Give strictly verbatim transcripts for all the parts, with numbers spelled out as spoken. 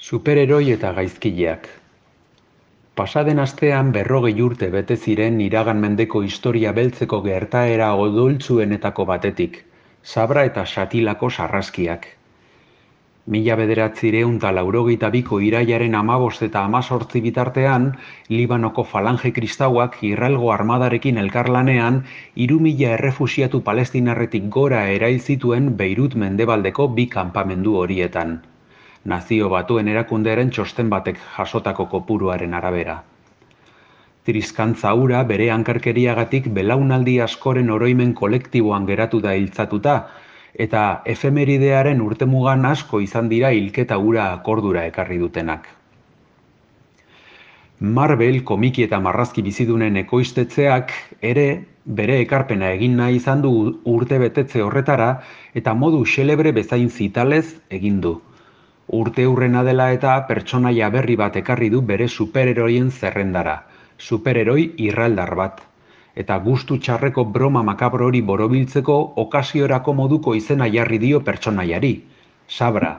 Superheroi eta gaizkileak. Pasaden astean berrogei urte bete ziren iragan mendeko historia beltzeko gertaera odoltsuenetako batetik, Sabra eta Xatilako sarraskiak. Mila bederatziehun eta laurogeita biko irailaren hamabost eta hemezortzi bitartean, Libanoko falange kristauak Israelgo armadarekin elkarlanean hiru mila errefuxiatu palestinarretik gora erail zituen Beirut mendebaldeko bi kanpamendu horietan. Nazio Batuen Erakundearen txosten batek jasotako kopuruaren arabera. Triskantza hura bere hankarkeriagatik belaunaldi askoren oroimen kolektiboan geratu da hiltzatuta, eta efemeridearen urtemugan asko izan dira hilketa hura akordura ekarri dutenak. Marvel komiki eta marrazki bizidunen ekoiztetzeak ere bere ekarpena egin nahi izan du urtebetetze horretara eta modu xelebre bezain zitalez egin du. Urte hurrena dela eta pertsonaia berri bat ekarri du bere superheroien zerrendara, superheroi irraldar bat. Eta gustu txarreko broma makabro hori borobiltzeko okasiorako moduko izena jarri dio pertsonaiari, Sabra,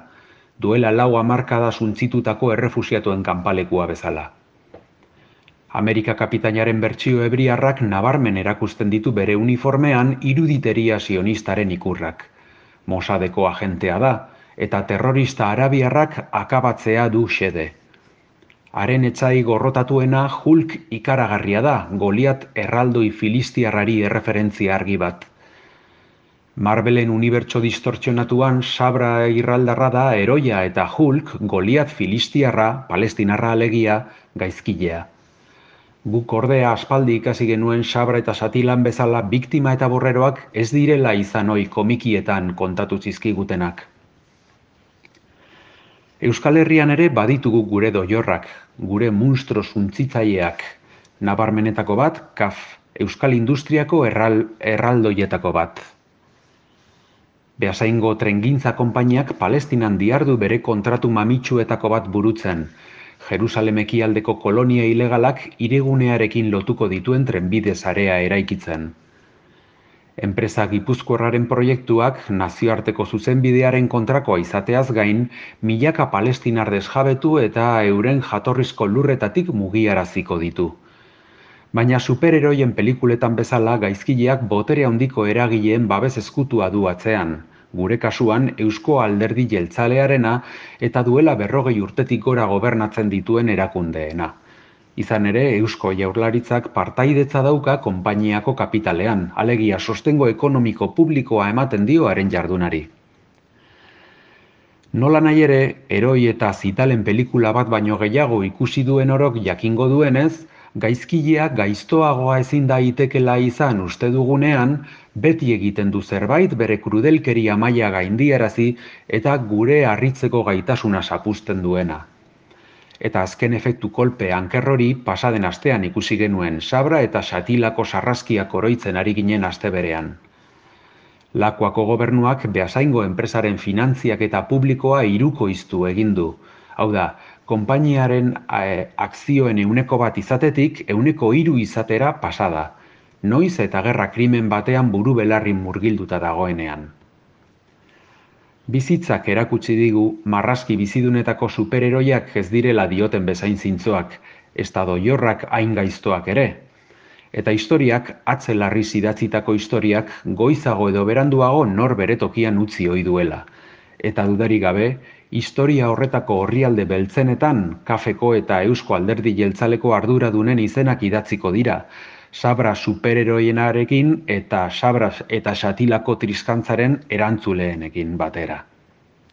duela lau hamarkada suntzitutako errefuxiatuen kanpalekua bezala. Amerika kapitainaren bertsio hebriarrak nabarmen erakusten ditu bere uniformean iruditeria sionistaren ikurrak. Mossadeko agentea da, eta terrorista arabiarrak akabatzea du xede. Haren etsai gorrotatuena Hulk ikaragarria da, Goliat erraldoi filistiarrari erreferentzia argi bat. Marvelen unibertso distortzionatuan Sabra irraldarra da heroia eta Hulk, Goliat filistiarra, palestinarra alegia, gaizkilea. Guk ordea aspaldi ikasi genuen Sabra eta Xatilan bezala biktima eta borreroak ez direla izan ohi komikietan kontatu zizkigutenak. Euskal Herrian ere baditugu gure doiorrak, gure munstro suntsitzaileak, nabarmenetako bat, K A F, Euskal Industriako erral, erraldoietako bat. Beasaingo Trengintza konpainiak Palestinan dihardu bere kontratu mamitsuetako bat burutzen, Jerusalem ekialdeko kolonia ilegalak hirigunearekin lotuko dituen trenbide sarea eraikitzen. Enpresa gipuzkoarraren proiektuak nazioarteko zuzenbidearen kontrakoa izateaz gain, milaka palestinar desjabetu eta euren jatorrizko lurretatik mugiaraziko ditu. Baina superheroien pelikuletan bezala gaizkileak botere handiko eragileen babes ezkutua du atzean, gure kasuan Eusko Alderdi Jeltzalearena eta duela berrogei urtetik gora gobernatzen dituen erakundeena. Izan ere, Eusko Jaurlaritzak partaidetza dauka konpainiako kapitalean, alegia sostengo ekonomiko publikoa ematen dio haren jardunari. Nola nahi ere, heroi eta zitalen pelikula bat baino gehiago ikusi duen orok jakingo duenez, gaizkilea gaiztoagoa ezin daitekela izan uste dugunean, beti egiten du zerbait bere krudelkeria maila gaindiarazi eta gure harritzeko gaitasuna zapuzten duena. Eta azken efektu kolpe ankerrori pasaden astean ikusi genuen Sabra eta Xatilako sarraskiak oroitzen ari ginen aste berean. Lakuako gobernuak Beasaingo enpresaren finantziak eta publikoa hirukoiztu egin du. Hau da, konpainiaren e, akzioen ehuneko bat izatetik ehuneko hiru izatera pasada. Noiz eta gerra krimen batean buru belarri murgilduta dagoenean. Bizitzak erakutsi digu marrazki bizidunetako superheroiak ez direla dioten bezain zintzoak, ezta doiorrak hain gaiztoak ere. Eta historiak, atzelarriz idatzitako historiak, goizago edo beranduago nor bere tokian utzi ohi duela. Eta dudarik gabe, historia horretako orrialde beltzenetan, Kafeko eta Eusko Alderdi Jeltzaleko arduradunen izenak idatziko dira, Sabra superheroienarekin eta Sabra eta Xatilako triskantzaren erantzuleenekin batera.